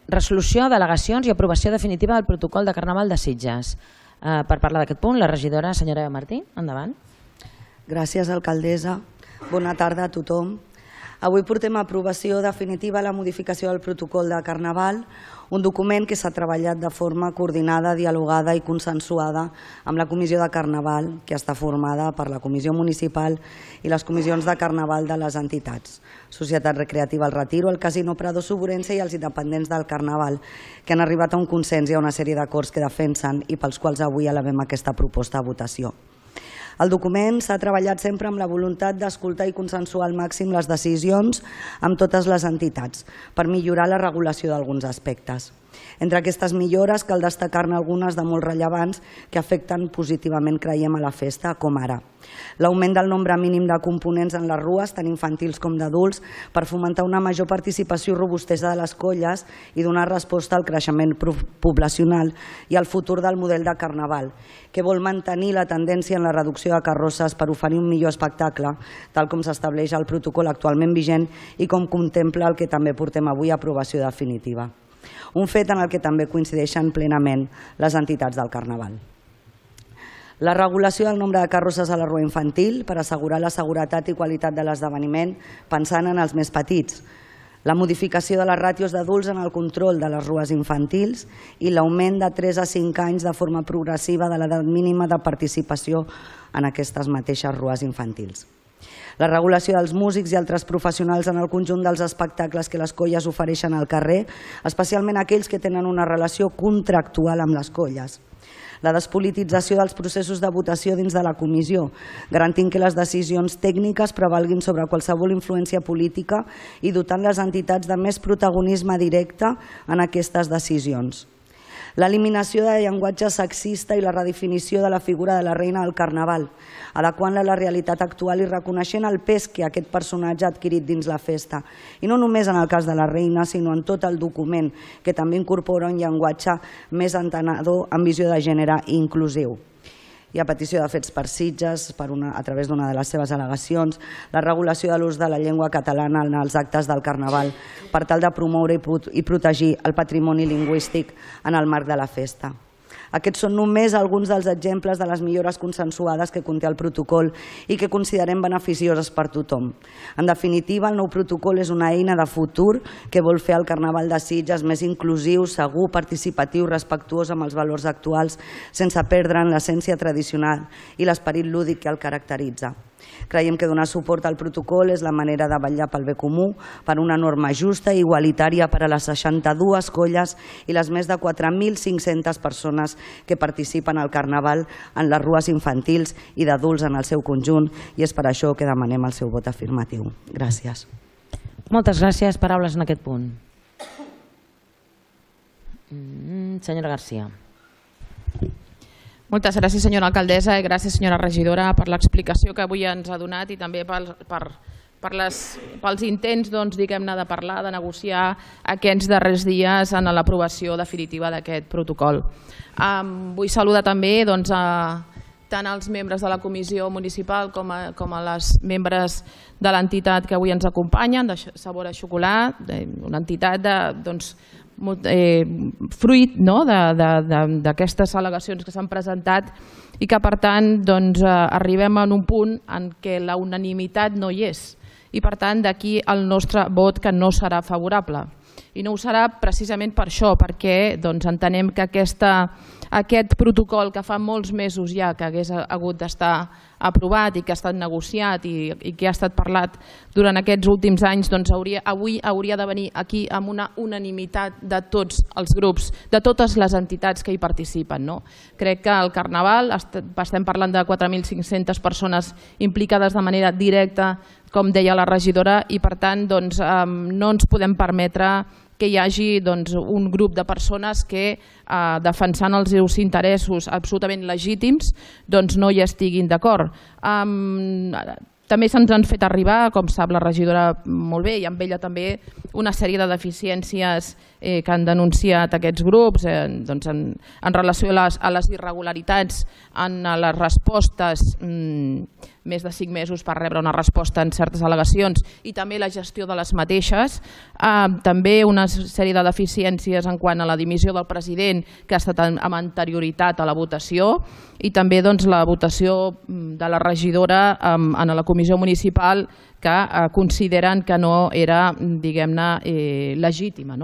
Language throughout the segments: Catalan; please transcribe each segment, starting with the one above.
resolució, delegacions i aprovació definitiva del protocol de Carnaval de Sitges. Per parlar d'aquest punt, la regidora senyora Martí, endavant. Gràcies, alcaldessa. Bona tarda a tothom. Avui portem a aprovació definitiva la modificació del protocol de Carnaval, un document que s'ha treballat de forma coordinada, dialogada i consensuada amb la Comissió de Carnaval, que està formada per la Comissió Municipal i les comissions de Carnaval de les entitats, Societat Recreativa El Retiro, el Casino Prado Suburense i els independents del Carnaval, que han arribat a un consens i a una sèrie d'acords que defensen i pels quals avui elevem aquesta proposta a votació. El document s'ha treballat sempre amb la voluntat d'escoltar i consensuar al màxim les decisions amb totes les entitats per millorar la regulació d'alguns aspectes. Entre aquestes millores cal destacar-ne algunes de molt rellevants que afecten positivament, creiem, a la festa, com ara l'augment del nombre mínim de components en les rues, tant infantils com d'adults, per fomentar una major participació i robustesa de les colles i donar resposta al creixement poblacional i al futur del model de Carnaval, que vol mantenir la tendència en la reducció de carrosses per oferir un millor espectacle, tal com s'estableix al protocol actualment vigent i com contempla el que també portem avui a aprovació definitiva. Un fet en el que també coincideixen plenament les entitats del Carnaval. La regulació del nombre de carrosses a la rua infantil per assegurar la seguretat i qualitat de l'esdeveniment pensant en els més petits. La modificació de les ràtios d'adults en el control de les rues infantils i l'augment de 3 a 5 anys de forma progressiva de l'edat mínima de participació en aquestes mateixes rues infantils. La regulació dels músics i altres professionals en el conjunt dels espectacles que les colles ofereixen al carrer, especialment aquells que tenen una relació contractual amb les colles. La despolitització dels processos de votació dins de la comissió, garantint que les decisions tècniques prevalguin sobre qualsevol influència política i dotant les entitats de més protagonisme directe en aquestes decisions. L'eliminació de llenguatge sexista i la redefinició de la figura de la reina del Carnaval, adequant-la a la realitat actual i reconeixent el pes que aquest personatge ha adquirit dins la festa. I no només en el cas de la reina, sinó en tot el document, que també incorpora un llenguatge més entenedor amb visió de gènere i inclusiu. I a petició de Fets per Sitges, a través d'una de les seves al·legacions, la regulació de l'ús de la llengua catalana en els actes del Carnaval per tal de promoure i protegir el patrimoni lingüístic en el marc de la festa. Aquests són només alguns dels exemples de les millores consensuades que conté el protocol i que considerem beneficioses per tothom. En definitiva, el nou protocol és una eina de futur que vol fer el Carnaval de Sitges més inclusiu, segur, participatiu, respectuós amb els valors actuals, sense perdre'n l'essència tradicional i l'esperit lúdic que el caracteritza. Creiem que donar suport al protocol és la manera de vetllar pel bé comú, per una norma justa i igualitària per a les 62 colles i les més de 4.500 persones que participen al Carnaval en les rues infantils i d'adults en el seu conjunt, i és per això que demanem el seu vot afirmatiu. Gràcies. Moltes gràcies. Paraules en aquest punt. Senyora Garcia. Moltes gràcies, senyora alcaldessa, i gràcies, senyora regidora, per l'explicació que avui ens ha donat i també pels intents, diguem-ne, de parlar, de negociar aquests darrers dies en l'aprovació definitiva d'aquest protocol. Vull saludar també tant als membres de la comissió municipal com a les membres de l'entitat que avui ens acompanyen, de Sabor a Xocolat, una entitat fruit d'aquestes al·legacions que s'han presentat i que, per tant, arribem a un punt en què la unanimitat no hi és i, per tant, d'aquí el nostre vot que no serà favorable. I no ho serà precisament per això, perquè entenem que aquest protocol que fa molts mesos ja que hagués hagut d'estar aprovat i que ha estat negociat i que ha estat parlat durant aquests últims anys, avui hauria de venir aquí amb una unanimitat de tots els grups, de totes les entitats que hi participen. Crec que al Carnaval estem parlant de 4.500 persones implicades de manera directa, com deia la regidora, i per tant no ens podem permetre que hi hagi un grup de persones que, defensant els seus interessos absolutament legítims, no hi estiguin d'acord. També se'ns han fet arribar, com sap la regidora molt bé, i amb ella també, una sèrie de deficiències que han denunciat aquests grups en relació a les irregularitats en les respostes més de 5 mesos per rebre una resposta en certes al·legacions i també la gestió de les mateixes. També una sèrie de deficiències en quant a la dimissió del president que ha estat amb anterioritat a la votació i també la votació de la regidora en la comissió municipal que consideren que no era, diguem-ne, legítima.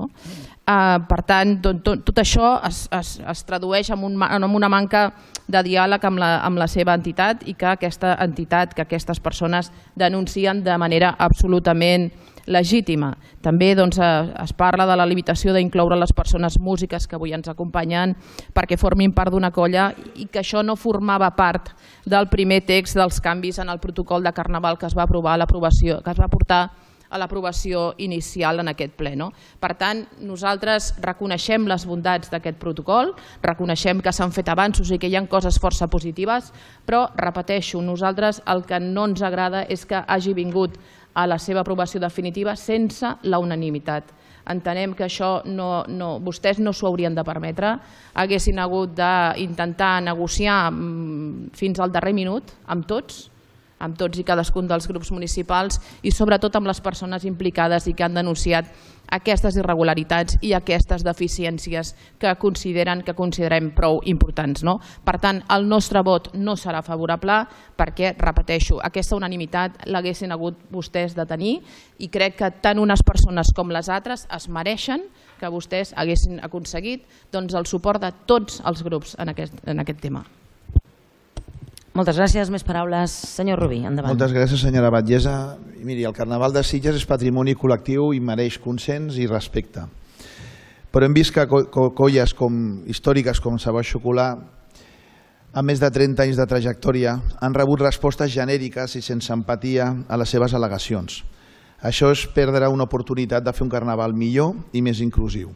Per tant, tot això es tradueix en una manca de diàleg amb la seva entitat i que aquesta entitat, que aquestes persones denuncien de manera absolutament legítima. També es parla de la limitació d'incloure les persones músiques que avui ens acompanyen perquè formin part d'una colla i que això no formava part del primer text dels canvis en el protocol de Carnaval que es va aprovar que es va portar a l'aprovació inicial en aquest ple. Per tant, nosaltres reconeixem les bondats d'aquest protocol, reconeixem que s'han fet avanços i que hi ha coses força positives, però, repeteixo, nosaltres el que no ens agrada és que hagi vingut a la seva aprovació definitiva sense la unanimitat. Entenem que això vostès no s'ho haurien de permetre, haguessin hagut d'intentar negociar fins al darrer minut amb tots i cadascun dels grups municipals i sobretot amb les persones implicades i que han denunciat aquestes irregularitats i aquestes deficiències que considerem prou importants. Per tant, el nostre vot no serà favorable perquè, repeteixo, aquesta unanimitat l'haguessin hagut vostès de tenir i crec que tant unes persones com les altres es mereixen que vostès haguessin aconseguit el suport de tots els grups en aquest tema. Moltes gràcies. Més paraules. Senyor Rubí, endavant. Moltes gràcies, senyora Batllessa. Miri, el Carnaval de Sitges és patrimoni col·lectiu i mereix consens i respecte. Però hem vist que colles històriques com Savoy Xocolà, amb més de 30 anys de trajectòria, han rebut respostes genèriques i sense empatia a les seves al·legacions. Això és perdre una oportunitat de fer un Carnaval millor i més inclusiu.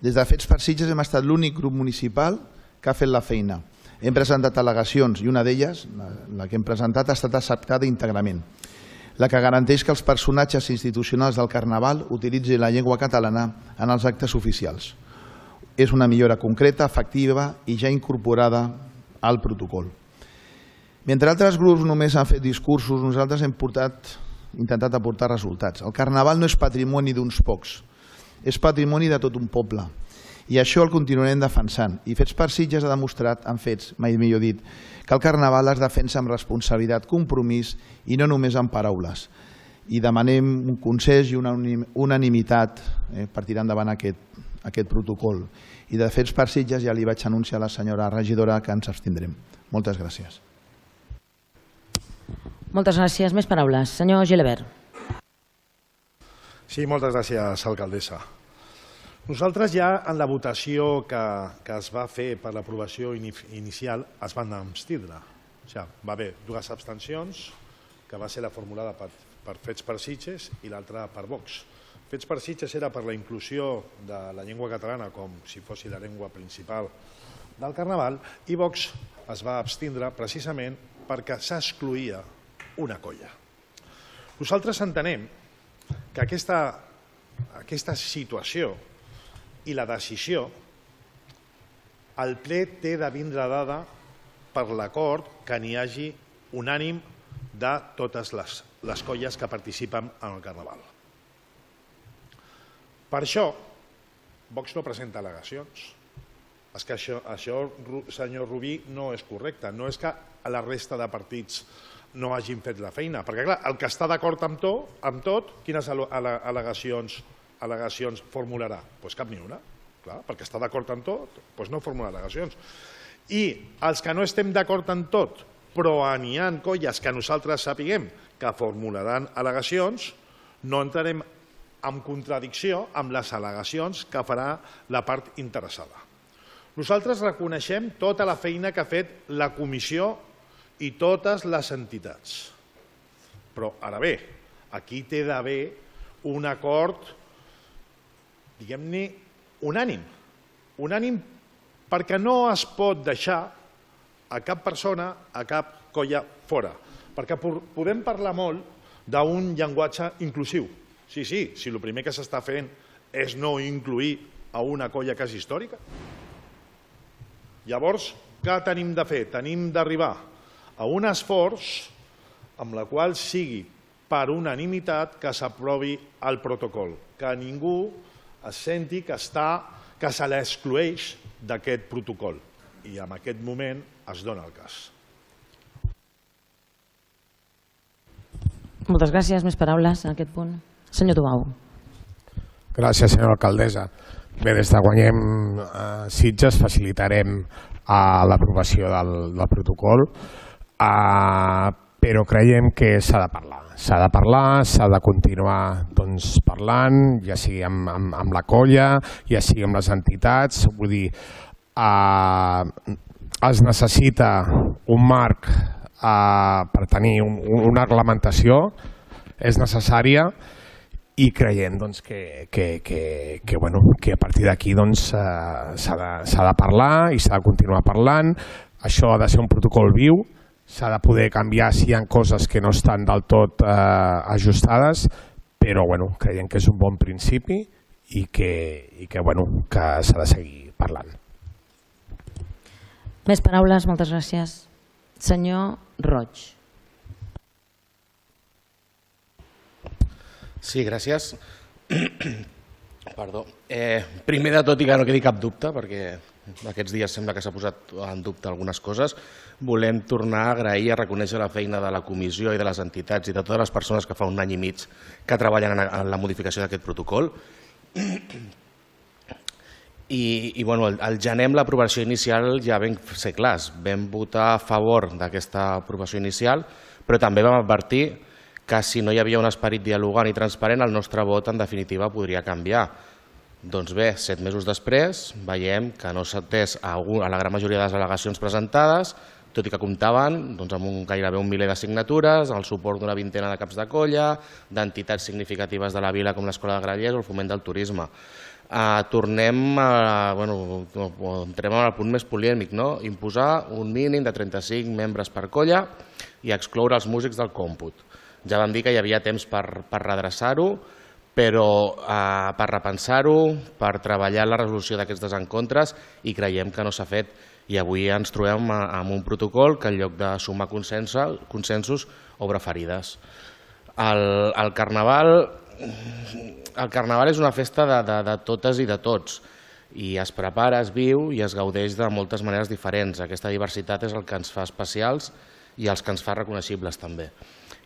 Des de Fets per Sitges hem estat l'únic grup municipal que ha fet la feina. Hem presentat al·legacions i una d'elles, la que hem presentat, ha estat acceptada íntegrament. La que garanteix que els personatges institucionals del Carnaval utilitzin la llengua catalana en els actes oficials. És una millora concreta, efectiva i ja incorporada al protocol. Mentre altres grups només han fet discursos, nosaltres hem intentat aportar resultats. El Carnaval no és patrimoni d'uns pocs, és patrimoni de tot un poble. I això el continuarem defensant. I Fets per Sitges ha demostrat, en fets, mai millor dit, que el Carnaval es defensa amb responsabilitat, compromís i no només amb paraules. I demanem un consens i una unanimitat per tirar endavant aquest protocol. I de Fets per Sitges ja li vaig anunciar a la senyora regidora que ens abstindrem. Moltes gràcies. Moltes gràcies. Més paraules. Senyor Gilabert. Sí, moltes gràcies, alcaldessa. Nosaltres ja en la votació que es va fer per l'aprovació inicial es van abstindre. Va haver dues abstencions, que va ser la formulada per Fets per Sitges i l'altra per Vox. Fets per Sitges era per la inclusió de la llengua catalana com si fos la llengua principal del Carnaval i Vox es va abstindre precisament perquè s'excloïa una colla. Nosaltres entenem que aquesta situació i la decisió, el ple té de vindre dada per l'acord que n'hi hagi unànim de totes les colles que participen en el Carnaval. Per això, Vox no presenta al·legacions. És que això, senyor Rubí, no és correcte. No és que la resta de partits no hagin fet la feina. Perquè, clar, el que està d'acord amb tot, quines al·legacions formularà? Doncs cap ni una, perquè està d'acord amb tot, doncs no formula al·legacions. I els que no estem d'acord amb tot, però n'hi ha colles que nosaltres sapiguem que formularan al·legacions, no entrarem en contradicció amb les al·legacions que farà la part interessada. Nosaltres reconeixem tota la feina que ha fet la comissió i totes les entitats. Però, ara bé, aquí té d'haver un acord diguem-ne, unànim. Unànim perquè no es pot deixar a cap persona, a cap colla fora. Perquè podem parlar molt d'un llenguatge inclusiu. Sí, si el primer que s'està fent és no incluir a una colla que és històrica. Llavors, què tenim de fer? Tenim d'arribar a un esforç amb la qual sigui per unanimitat que s'aprovi el protocol, que ningú es senti que se l'excloeix d'aquest protocol. I en aquest moment es dona el cas. Moltes gràcies. Més paraules en aquest punt. Senyor Tubau. Gràcies, senyora alcaldessa. Bé, des de Guanyem Sitges facilitarem l'aprovació del protocol, però creiem que s'ha de parlar. S'ha de parlar, s'ha de continuar parlant, ja sigui amb la colla, ja sigui amb les entitats. Vull dir, es necessita un marc per tenir una reglamentació, és necessària, i creiem que a partir d'aquí s'ha de parlar i s'ha de continuar parlant. Això ha de ser un protocol viu, s'ha de poder canviar si hi ha coses que no estan del tot ajustades, però creiem que és un bon principi i que s'ha de seguir parlant. Més paraules, moltes gràcies. Senyor Roig. Sí, gràcies. Perdó. Primer de tot, i que no quedi cap dubte, perquè aquests dies sembla que s'ha posat en dubte algunes coses, volem tornar a agrair i a reconèixer la feina de la comissió i de les entitats i de totes les persones que fa un any i mig que treballen en la modificació d'aquest protocol. I al gener, amb l'aprovació inicial, ja vam ser clars. Vam votar a favor d'aquesta aprovació inicial, però també vam advertir que si no hi havia un esperit dialogant i transparent, el nostre vot, en definitiva, podria canviar. Doncs bé, 7 mesos després, veiem que no s'ha atès a la gran majoria de les al·legacions presentades, tot i que comptaven amb gairebé 1 miler de signatures, el suport d'una vintena de caps de colla, d'entitats significatives de la vila com l'Escola de Grallers o el Foment del Turisme. Entrem al punt més polèmic, imposar un mínim de 35 membres per colla i excloure els músics del còmput. Ja vam dir que hi havia temps per redreçar-ho, però per repensar-ho, per treballar la resolució d'aquests desencontres, i creiem que no s'ha fet. I avui ens trobem amb un protocol que en lloc de sumar consensos obre ferides. El Carnaval és una festa de totes i de tots, i es prepara, es viu i es gaudeix de moltes maneres diferents. Aquesta diversitat és el que ens fa especials i els que ens fa reconeixibles també.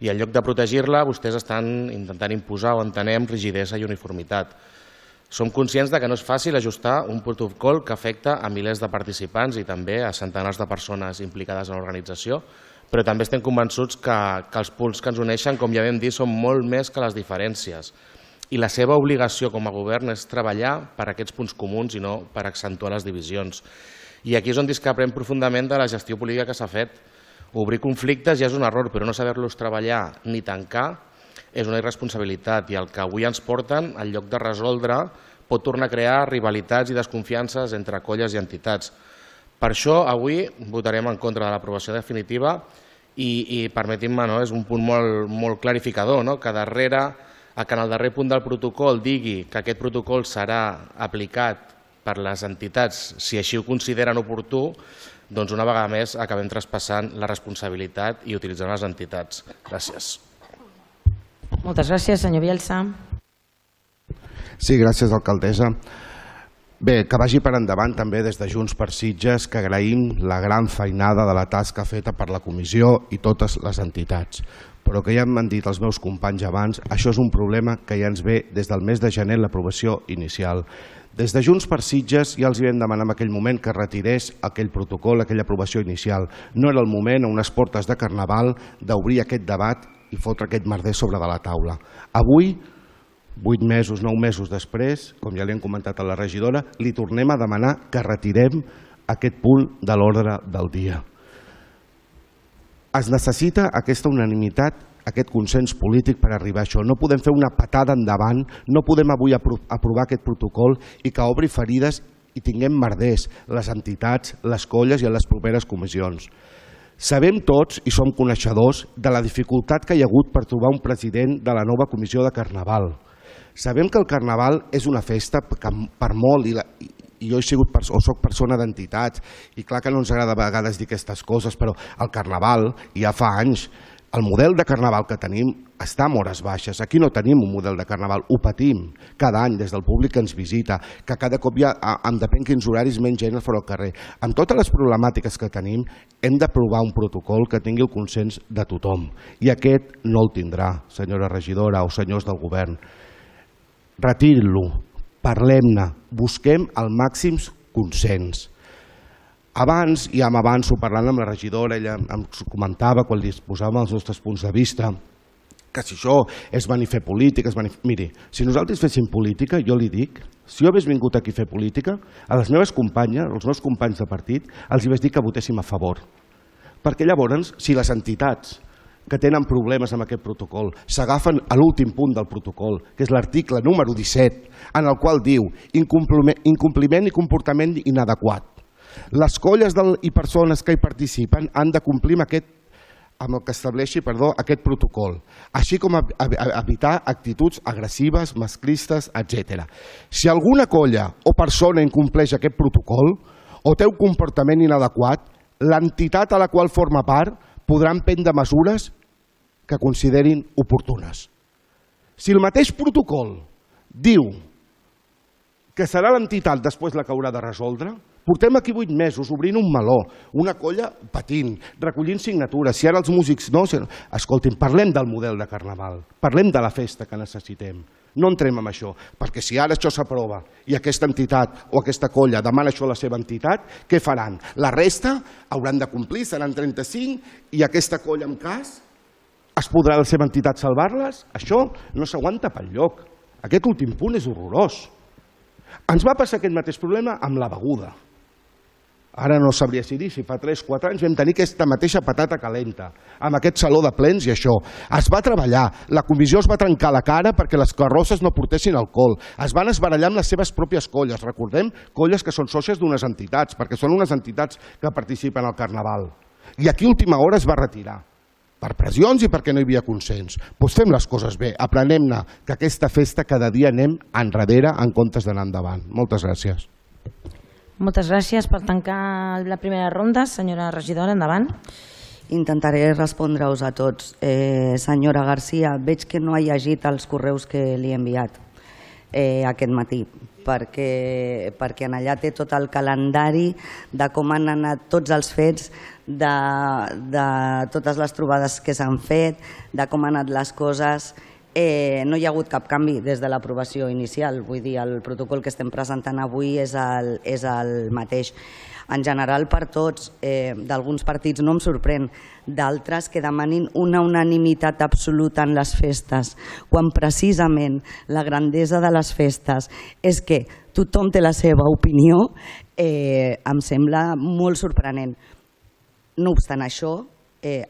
I en lloc de protegir-la, vostès estan intentant imposar, o entenem, rigidesa i uniformitat. Som conscients que no és fàcil ajustar un protocol que afecta a milers de participants i també a centenars de persones implicades en l'organització, però també estem convençuts que els punts que ens uneixen, com ja vam dir, són molt més que les diferències. I la seva obligació com a govern és treballar per aquests punts comuns i no per accentuar les divisions. I aquí és on discrepem profundament de la gestió política que s'ha fet. Obrir conflictes ja és un error, però no saber-los treballar ni tancar és una irresponsabilitat, i el que avui ens porten, en lloc de resoldre, pot tornar a crear rivalitats i desconfiances entre colles i entitats. Per això avui votarem en contra de l'aprovació definitiva i permetim-me, és un punt molt clarificador, que en el darrer punt del protocol digui que aquest protocol serà aplicat per les entitats si així ho consideren oportú, doncs una vegada més acabem traspassant la responsabilitat i utilitzant les entitats. Gràcies. Moltes gràcies, senyor Bielsa. Sí, gràcies, alcaldessa. Bé, que vagi per endavant també des de Junts per Sitges, que agraïm la gran feinada de la tasca feta per la comissió i totes les entitats. Però que ja m'han dit els meus companys abans, això és un problema que ja ens ve des del mes de gener l'aprovació inicial. Des de Junts per Sitges ja els vam demanar en aquell moment que retirés aquell protocol, aquella aprovació inicial. No era el moment, a unes portes de Carnaval, d'obrir aquest debat i fotre aquest merder sobre de la taula. Avui, 8 mesos, 9 mesos després, com ja li han comentat a la regidora, li tornem a demanar que retirem aquest punt de l'ordre del dia. Es necessita aquesta unanimitat, aquest consens polític per arribar a això. No podem fer una patada endavant, no podem avui aprovar aquest protocol i que obri ferides i tinguem merders, les entitats, les colles i les properes comissions. Sabem tots i som coneixedors de la dificultat que hi ha hagut per trobar un president de la nova comissió de Carnaval. Sabem que el Carnaval és una festa que per molt, i jo he sigut o soc persona d'entitats, i clar que no ens agrada a vegades dir aquestes coses, però el Carnaval ja fa anys El model de carnaval que tenim està en hores baixes. Aquí no tenim un model de carnaval, ho patim cada any des del públic que ens visita, que cada cop hi ha, en depèn quins horaris, menys gent fora al carrer. Amb totes les problemàtiques que tenim, hem d'aprovar un protocol que tingui el consens de tothom. I aquest no el tindrà, senyora regidora o senyors del govern. Retirin-lo, parlem-ne, busquem el màxim consens. Abans, ja m'avanço parlant amb la regidora, ella em comentava quan li exposàvem els nostres punts de vista que si això és venir a fer política... Miri, si nosaltres féssim política, jo li dic, si jo hagués vingut aquí a fer política, a les meves companyes, als meus companys de partit, els vaig dir que votéssim a favor. Perquè llavors, si les entitats que tenen problemes amb aquest protocol s'agafen a l'últim punt del protocol, que és l'article número 17, en el qual diu incompliment i comportament inadequat. Les colles i persones que hi participen han de complir amb el que estableixi aquest protocol, així com evitar actituds agressives, masclistes, etc. Si alguna colla o persona incompleix aquest protocol o té un comportament inadequat, l'entitat a la qual forma part podrà prendre mesures que considerin oportunes. Si el mateix protocol diu que serà l'entitat després la que haurà de resoldre, portem aquí 8 mesos obrint un meló, una colla patint, recollint signatures. Si ara els músics no... Escoltin, parlem del model de carnaval, parlem de la festa que necessitem. No entrem en això, perquè si ara això s'aprova i aquesta entitat o aquesta colla demana això a la seva entitat, què faran? La resta hauran de complir, seran 35, i aquesta colla en cas es podrà la seva entitat salvar-les? Això no s'aguanta pel lloc. Aquest últim punt és horrorós. Ens va passar aquest mateix problema amb la beguda. Ara no sabria si dir, si fa 3-4 anys vam tenir aquesta mateixa patata calenta, amb aquest saló de plens i això. Es va treballar, la comissió es va trencar la cara perquè les carrosses no portessin alcohol, es van esbarallar amb les seves pròpies colles, recordem, colles que són sòcies d'unes entitats, perquè són unes entitats que participen al Carnaval. I aquí a última hora es va retirar, per pressions i perquè no hi havia consens. Doncs fem les coses bé, aprenem-ne que aquesta festa cada dia anem enrere en comptes d'anar endavant. Moltes gràcies. Moltes gràcies. Per tancar la primera ronda, senyora regidora, endavant. Intentaré respondre-us a tots. Senyora Garcia, veig que no ha llegit els correus que li he enviat aquest matí, perquè en allà té tot el calendari de com han anat tots els fets, de totes les trobades que s'han fet, de com han anat les coses. No hi ha hagut cap canvi des de l'aprovació inicial, vull dir, el protocol que estem presentant avui és el mateix. En general per tots, d'alguns partits no em sorprèn, d'altres que demanin una unanimitat absoluta en les festes, quan precisament la grandesa de les festes és que tothom té la seva opinió, em sembla molt sorprenent. No obstant això,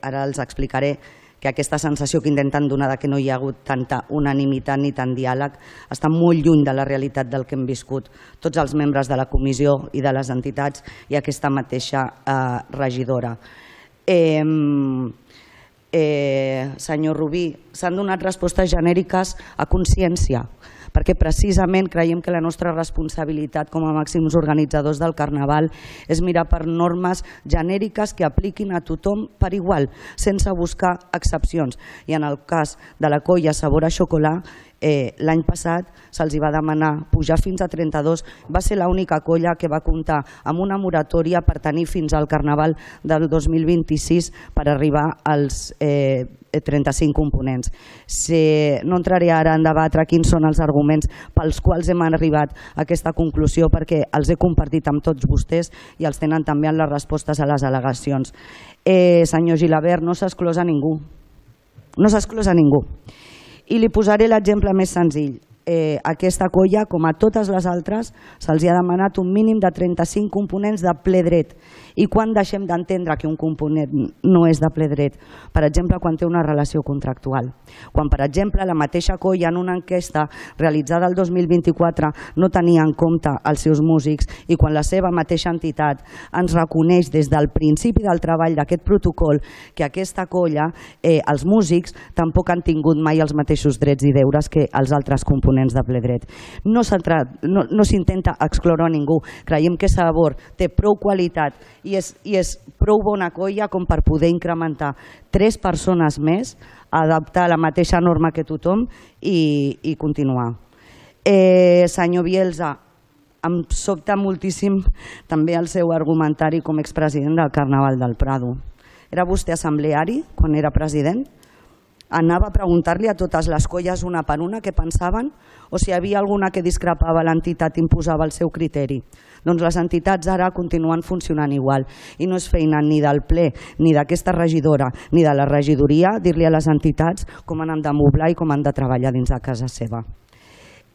ara els explicaré que aquesta sensació que intenten donar que no hi ha hagut tanta unanimitat ni tant diàleg està molt lluny de la realitat del que hem viscut tots els membres de la comissió i de les entitats i aquesta mateixa regidora. Senyor Rubí, s'han donat respostes genèriques a consciència, perquè precisament creiem que la nostra responsabilitat com a màxims organitzadors del Carnaval és mirar per normes genèriques que apliquin a tothom per igual, sense buscar excepcions. I en el cas de la colla Sabor a Xocolà, l'any passat se'ls va demanar pujar fins a 32, va ser l'única colla que va comptar amb una moratòria per tenir fins al Carnaval del 2026 per arribar als 35 components. No entraré ara en debatre quins són els arguments pels quals hem arribat a aquesta conclusió, perquè els he compartit amb tots vostès i els tenen també en les respostes a les al·legacions. Senyor Gilabert, no s'exclòs a ningú. No s'exclòs a ningú. I li posaré l'exemple més senzill. Aquesta colla, com a totes les altres, se'ls ha demanat un mínim de 35 components de ple dret. I quan deixem d'entendre que un component no és de ple dret? Per exemple, quan té una relació contractual. Quan, per exemple, la mateixa colla en una enquesta realitzada el 2024 no tenia en compte els seus músics i quan la seva mateixa entitat ens reconeix des del principi del treball d'aquest protocol que aquesta colla, els músics, tampoc han tingut mai els mateixos drets i deures que els altres components ponents de ple dret. No s'intenta excloure a ningú. Creiem que Sabor té prou qualitat i és prou bona colla com per poder incrementar 3 persones més, adaptar la mateixa norma que tothom i continuar. Senyor Bielsa, em sobta moltíssim també el seu argumentari com a expresident del Carnaval del Prado. Era vostè assembleari quan era president? Anava a preguntar-li a totes les colles una per una què pensaven o si hi havia alguna que discrepava, l'entitat imposava el seu criteri. Doncs les entitats ara continuen funcionant igual i no és feina ni del ple, ni d'aquesta regidora, ni de la regidoria dir-li a les entitats com han de moblar i com han de treballar dins de casa seva.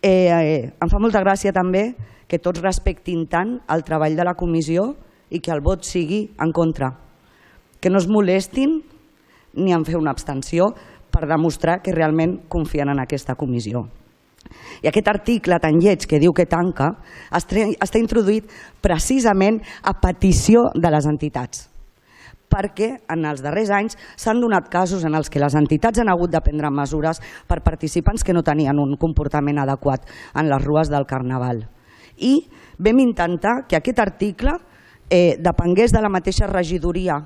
Em fa molta gràcia també que tots respectin tant el treball de la comissió i que el vot sigui en contra. Que no es molestin ni en fer una abstenció per demostrar que realment confien en aquesta comissió. I aquest article tan lleig que diu que tanca està introduït precisament a petició de les entitats, perquè en els darrers anys s'han donat casos en els que les entitats han hagut de prendre mesures per participants que no tenien un comportament adequat en les rues del Carnaval. I vam intentar que aquest article depengués de la mateixa regidoria,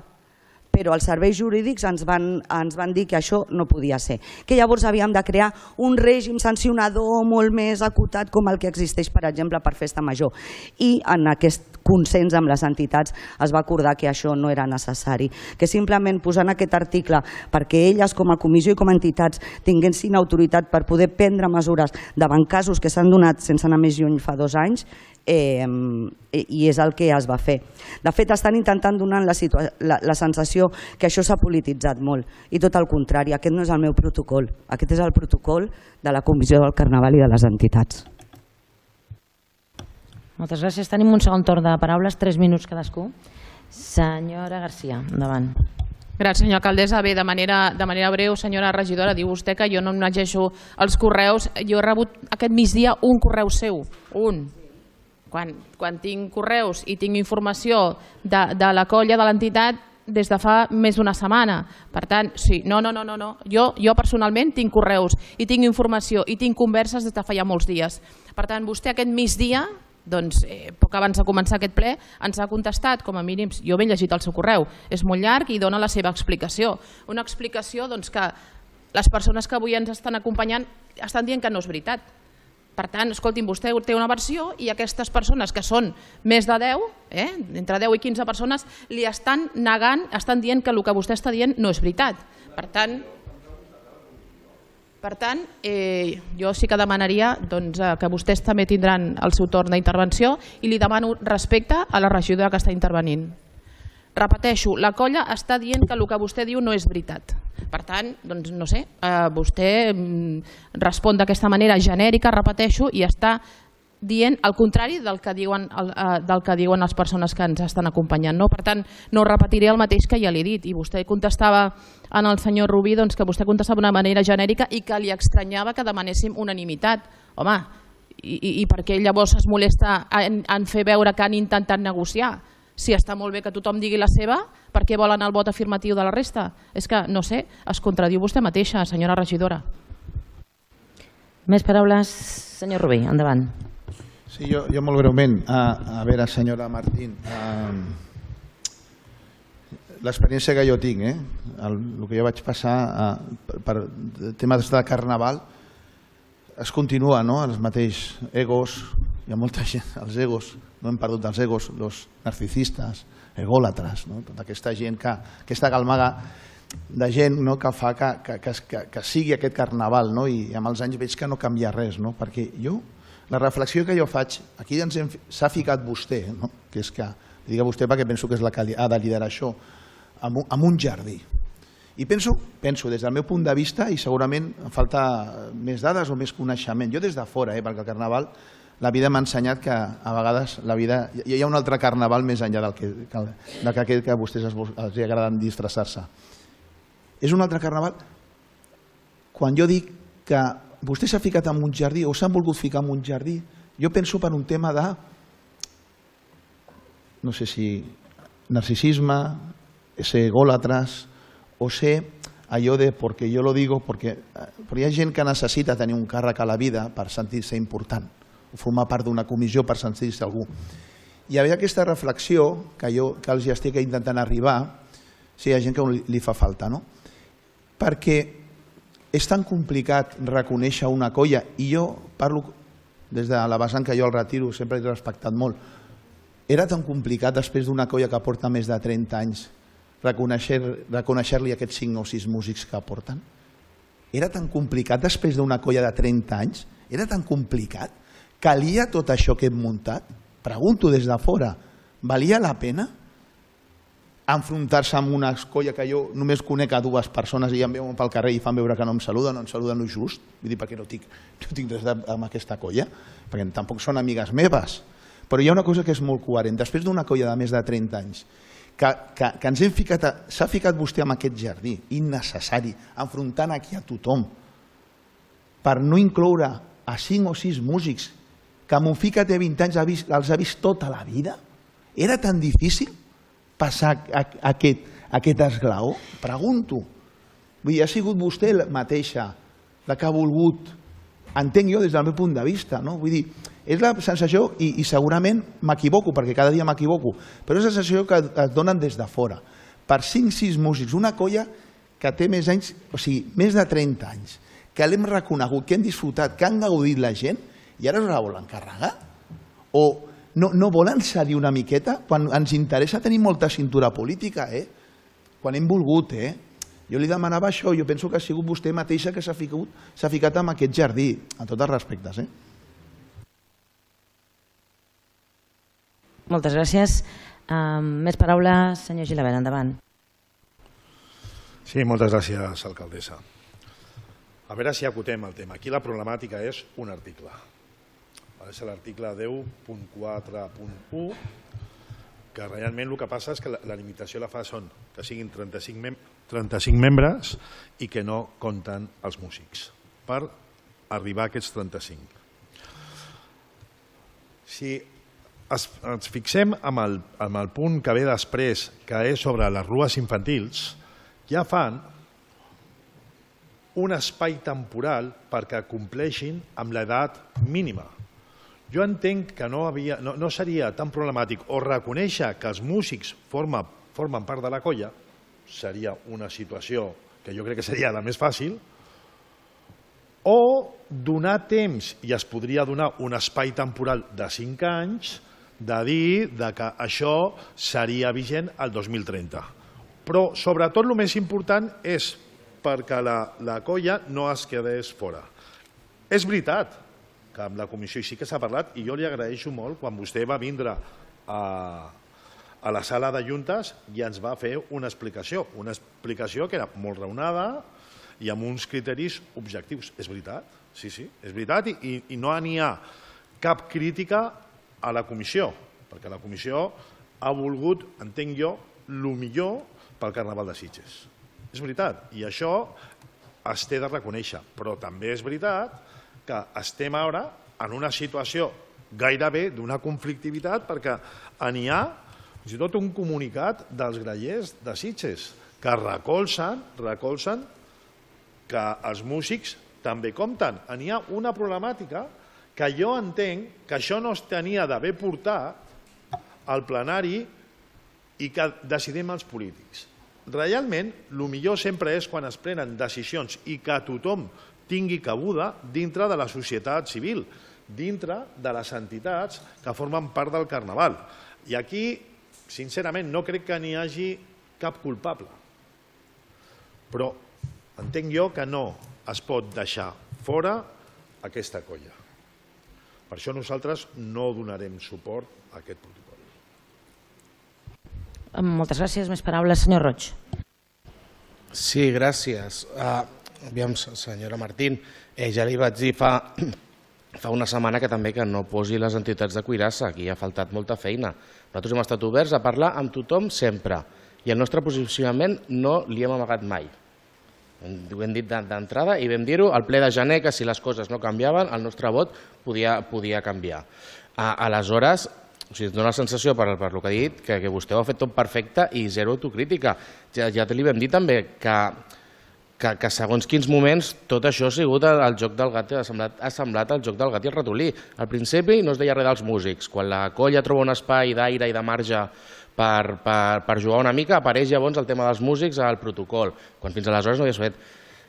però els serveis jurídics ens van dir que això no podia ser, que llavors havíem de crear un règim sancionador molt més acotat com el que existeix, per exemple, per festa major. I en aquest consens amb les entitats es va acordar que això no era necessari, que simplement posant aquest article perquè elles com a comissió i com a entitats tinguessin autoritat per poder prendre mesures davant casos que s'han donat sense anar més lluny fa 2 anys, i és el que es va fer. De fet, estan intentant donar la sensació que això s'ha polititzat molt i tot el contrari, aquest no és el meu protocol, aquest és el protocol de la Comissió del Carnaval i de les entitats. Moltes gràcies. Tenim un segon torn de paraules, 3 minuts cadascú. Senyora Garcia, endavant. Gràcies, senyora alcaldessa. Bé, de manera breu, senyora regidora, diu vostè que jo no em llegeixo els correus. Jo he rebut aquest migdia un correu seu, un. Quan tinc correus i tinc informació de la colla de l'entitat des de fa més d'una setmana. Per tant, sí, no. Jo personalment tinc correus i tinc informació i tinc converses des de fa ja molts dies. Per tant, vostè aquest migdia, doncs, poc abans de començar aquest ple, ens ha contestat, com a mínim, jo m'he llegit el seu correu, és molt llarg i dona la seva explicació. Una explicació que les persones que avui ens estan acompanyant estan dient que no és veritat. Per tant, escolti'm, vostè té una versió i aquestes persones, que són més de 10, entre 10 i 15 persones, li estan negant, estan dient que el que vostè està dient no és veritat. Per tant, jo sí que demanaria que vostès també tindran el seu torn d'intervenció i li demano respecte a la regidora que està intervenint. Repeteixo, la colla està dient que el que vostè diu no és veritat. Per tant, doncs no sé, vostè respon d'aquesta manera genèrica, repeteixo, i està dient el contrari del que diuen les persones que ens estan acompanyant. Per tant, no repetiré el mateix que ja li he dit. I vostè contestava al senyor Rubí que vostè contestava d'una manera genèrica i que li estranyava que demanéssim unanimitat. Home, i per què llavors es molesta en fer veure que han intentat negociar? Si està molt bé que tothom digui la seva, per què volen el vot afirmatiu de la resta? És que, no sé, es contradiu vostè mateixa, senyora regidora. Més paraules, senyor Rubí, endavant. Sí, jo molt breument. A veure, senyora Martín, l'experiència que jo tinc, el que jo vaig passar per temes de carnaval, es continua, els mateixos egos, hi ha molta gent, els egos, no hem perdut els egos, els narcisistes, egòlatres, tota aquesta gent, aquesta galmaga de gent que fa que sigui aquest carnaval, i amb els anys veig que no canvia res, perquè la reflexió que jo faig, aquí s'ha ficat vostè, que és que, digue vostè perquè penso que és la que ha de liderar això, en un jardí. I penso, des del meu punt de vista, i segurament em falta més dades o més coneixement, jo des de fora, perquè el carnaval, la vida m'ha ensenyat que a vegades hi ha un altre carnaval més enllà d'aquest que a vostès els agraden disfressar-se. És un altre carnaval quan jo dic que vostè s'ha ficat en un jardí o s'han volgut ficar en un jardí, jo penso per un tema de, no sé si narcisisme, ser egòlatres o ser allò de porque yo lo digo, perquè hi ha gent que necessita tenir un càrrec a la vida per sentir-se important, o formar part d'una comissió per sentir-se algú. Hi havia aquesta reflexió que els estic intentant arribar, si hi ha gent que li fa falta, no? Perquè és tan complicat reconèixer una colla, i jo parlo des de la vessant que jo el retiro, sempre l'he respectat molt, era tan complicat després d'una colla que porta més de 30 anys reconèixer-li aquests 5 o 6 músics que porten? Era tan complicat després d'una colla de 30 anys? Era tan complicat? Calia tot això que hem muntat? Pregunto des de fora, valia la pena enfrontar-se amb una colla que jo només conec a 2 persones i em veuen pel carrer i fan veure que no em saluden el just? Vull dir, perquè no tinc res amb aquesta colla, perquè tampoc són amigues meves. Però hi ha una cosa que és molt coherent. Després d'una colla de més de 30 anys, que ens hem ficat, s'ha ficat vostè en aquest jardí innecessari, enfrontant aquí a tothom, per no incloure a 5 o 6 músics que mon fill que té 20 anys els ha vist tota la vida? Era tan difícil passar aquest esglaó? Pregunto. Vull dir, ha sigut vostè mateixa la que ha volgut, entenc jo des del meu punt de vista, no? Vull dir, és la sensació, i segurament m'equivoco, perquè cada dia m'equivoco, però és la sensació que et donen des de fora. Per 5-6 músics, una colla que té més anys, o sigui, més de 30 anys, que l'hem reconegut, que hem disfrutat, que han gaudit la gent, i ara us la volen carregar? O no volen cedir una miqueta? Quan ens interessa tenir molta cintura política, quan hem volgut, Jo li demanava això, jo penso que ha sigut vostè mateixa que s'ha ficat en aquest jardí, amb tots els respectes. Moltes gràcies. Més paraules, senyor Gilabert, endavant. Sí, moltes gràcies, alcaldessa. A veure si acotem el tema. Aquí la problemàtica és un article. És l'article 10.4.1, que realment el que passa és que la limitació la fa són que siguin 35 membres i que no compten els músics per arribar a aquests 35. Si ens fixem en el punt que ve després, que és sobre les rues infantils, ja fan un espai temporal perquè compleixin amb l'edat mínima. Jo entenc que no seria tan problemàtic o reconèixer que els músics formen part de la colla, seria una situació que jo crec que seria la més fàcil, o donar temps, i es podria donar un espai temporal de 5 anys, de dir que això seria vigent el 2030. Però sobretot el més important és perquè la colla no es quedés fora. És veritat que amb la comissió sí que s'ha parlat, i jo li agraeixo molt quan vostè va vindre a la sala de juntes i ens va fer una explicació que era molt raonada i amb uns criteris objectius. És veritat, sí, és veritat, i no n'hi ha cap crítica a la comissió, perquè la comissió ha volgut, entenc jo, el millor pel Carnaval de Sitges. És veritat, i això es té de reconèixer, però també és veritat que estem ara en una situació gairebé d'una conflictivitat perquè n'hi ha fins i tot un comunicat dels grallers de Sitges que recolzen que els músics també compten. N'hi ha una problemàtica que jo entenc que això no es tenia d'haver portat al plenari i que decidim els polítics. Realment, el millor sempre és quan es prenen decisions i que tothom tingui cabuda dintre de la societat civil, dintre de les entitats que formen part del Carnaval. I aquí, sincerament, no crec que n'hi hagi cap culpable. Però entenc jo que no es pot deixar fora aquesta colla. Per això nosaltres no donarem suport a aquest protocol. Moltes gràcies. Més paraules, senyor Roig. Sí, gràcies. Aviam, senyora Martín, ja li vaig dir fa una setmana que també que no posi les entitats de cuirassa, aquí ha faltat molta feina. Nosaltres hem estat oberts a parlar amb tothom sempre i el nostre posicionament no li hem amagat mai. Ho hem dit d'entrada i vam dir-ho al ple de gener que si les coses no canviaven el nostre vot podia canviar. Aleshores, es dona la sensació per el que ha dit que vostè ho ha fet tot perfecte i zero autocrítica. Ja li vam dir també que que segons quins moments tot això ha sigut el joc del gat, ha semblat el joc del gat i el ratolí. Al principi no es deia res dels músics. Quan la colla troba un espai d'aire i de marge per jugar una mica, apareix llavors el tema dels músics al protocol, quan fins aleshores no havies fet.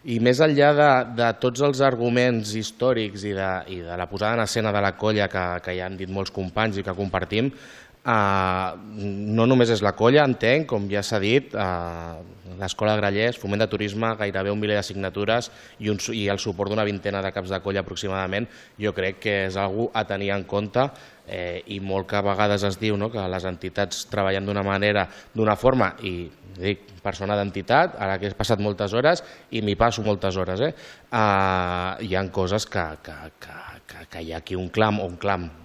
I més enllà de tots els arguments històrics i de la posada en escena de la colla que ja han dit molts companys i que compartim, no només és la colla, entenc, com ja s'ha dit, l'Escola de Grallers, Foment de Turisme, gairebé 1 miler de signatures i el suport d'una vintena de caps de colla aproximadament, jo crec que és algú a tenir en compte i molt que a vegades es diu que les entitats treballen d'una manera, d'una forma, i dic persona d'entitat, ara que he passat moltes hores i m'hi passo moltes hores, hi ha coses que hi ha aquí un clam,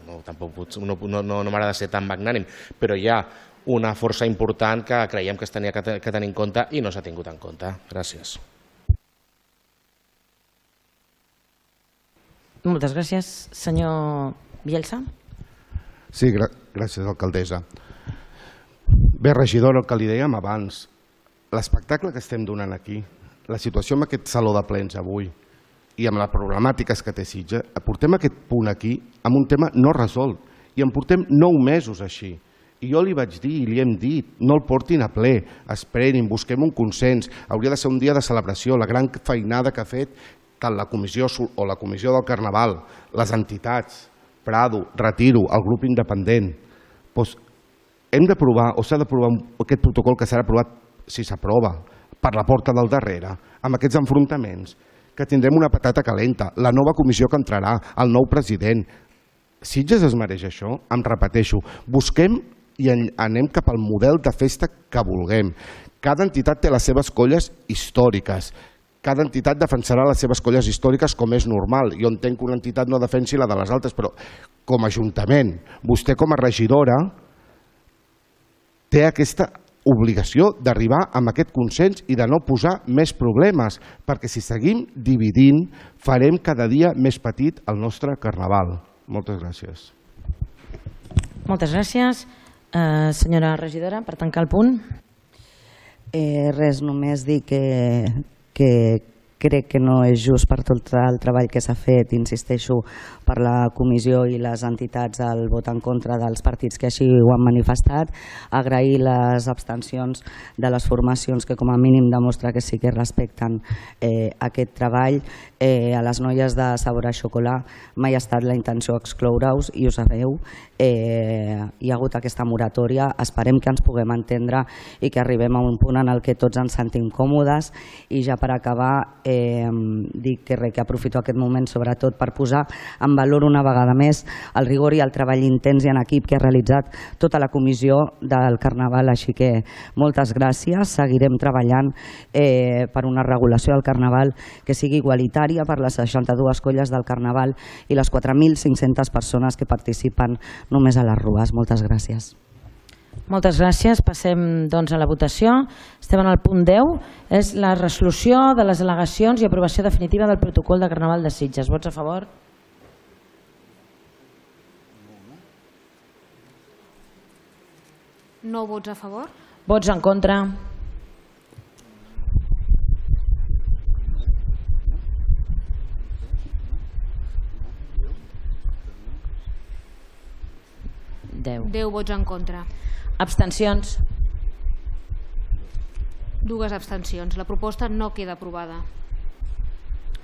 no m'agrada ser tan magnànim, però hi ha una força important que creiem que es tenia que tenir en compte i no s'ha tingut en compte. Gràcies. Moltes gràcies. Senyor Bielsa. Sí, gràcies, alcaldessa. Bé, regidora, el que li dèiem abans, l'espectacle que estem donant aquí, la situació amb aquest saló de plens avui i amb les problemàtiques que té Sitges, portem aquest punt aquí amb un tema no resolt i en portem 9 mesos així. I jo li vaig dir i li hem dit, no el portin a ple, esperin, busquem un consens, hauria de ser un dia de celebració, la gran feinada que ha fet tant la comissió o la comissió del Carnaval, les entitats, Prado, Retiro, el grup independent. Doncs hem d'aprovar o s'ha d'aprovar aquest protocol que serà aprovat, si s'aprova, per la porta del darrere, amb aquests enfrontaments, que tindrem una patata calenta, la nova comissió que entrarà, el nou president. Sitges es mereix això? Em repeteixo, busquem i anem cap al model de festa que vulguem. Cada entitat té les seves colles històriques. Cada entitat defensarà les seves colles històriques com és normal. Jo entenc que una entitat no defensi la de les altres, però com a ajuntament, vostè com a regidora té aquesta obligació d'arribar a aquest consens i de no posar més problemes, perquè si seguim dividint farem cada dia més petit el nostre Carnaval. Moltes gràcies. Moltes gràcies. Senyora regidora, per tancar el punt. Res, només dir que crec que no és just per tot el treball que s'ha fet, insisteixo, per la comissió i les entitats al vot en contra dels partits que així ho han manifestat, agrair les abstencions de les formacions que com a mínim demostra que sí que respecten aquest treball. A les noies de Sabor a Xocolà mai ha estat la intenció excloure-us i ho sabeu, hi ha hagut aquesta moratòria, esperem que ens puguem entendre i que arribem a un punt en el que tots ens sentim còmodes. I ja per acabar dic que aprofito aquest moment sobretot per posar en valor una vegada més el rigor i el treball intens i en equip que ha realitzat tota la comissió del Carnaval, així que moltes gràcies. Seguirem treballant per una regulació del Carnaval que sigui igualitària per les 62 colles del Carnaval i les 4.500 persones que participen només a les rues. Moltes gràcies. Moltes gràcies. Passem doncs a la votació. Estem en el punt 10. És la resolució de les al·legacions i aprovació definitiva del protocol de Carnaval de Sitges. Vots a favor? No vots a favor? Vots en contra? Deu. 10 vots en contra. Abstencions? 2 abstencions. La proposta no queda aprovada.